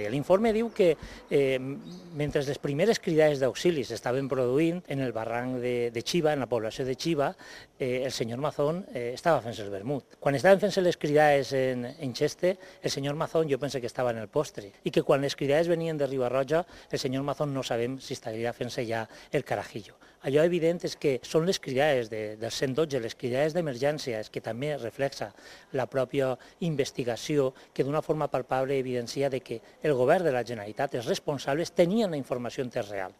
L'informe diu que mentre les primeres cridades d'auxili s'estaven produint en el barranc de Xiva, en la població de Xiva, el senyor Mazón estava fent-se el vermut. Quan estaven fent-se les cridades en Xeste, el senyor Mazón jo pense que estava en el postre, i que quan les cridades venien de Riba-roja, el senyor Mazón no sabem si estaria fent-se ja el carajillo. Allò evident és que són les cridades del 112, les cridades d'emergència, que també reflexa la pròpia investigació, que d'una forma palpable evidencia de que el govern de la Generalitat, els responsables, tenien la informació en temps real.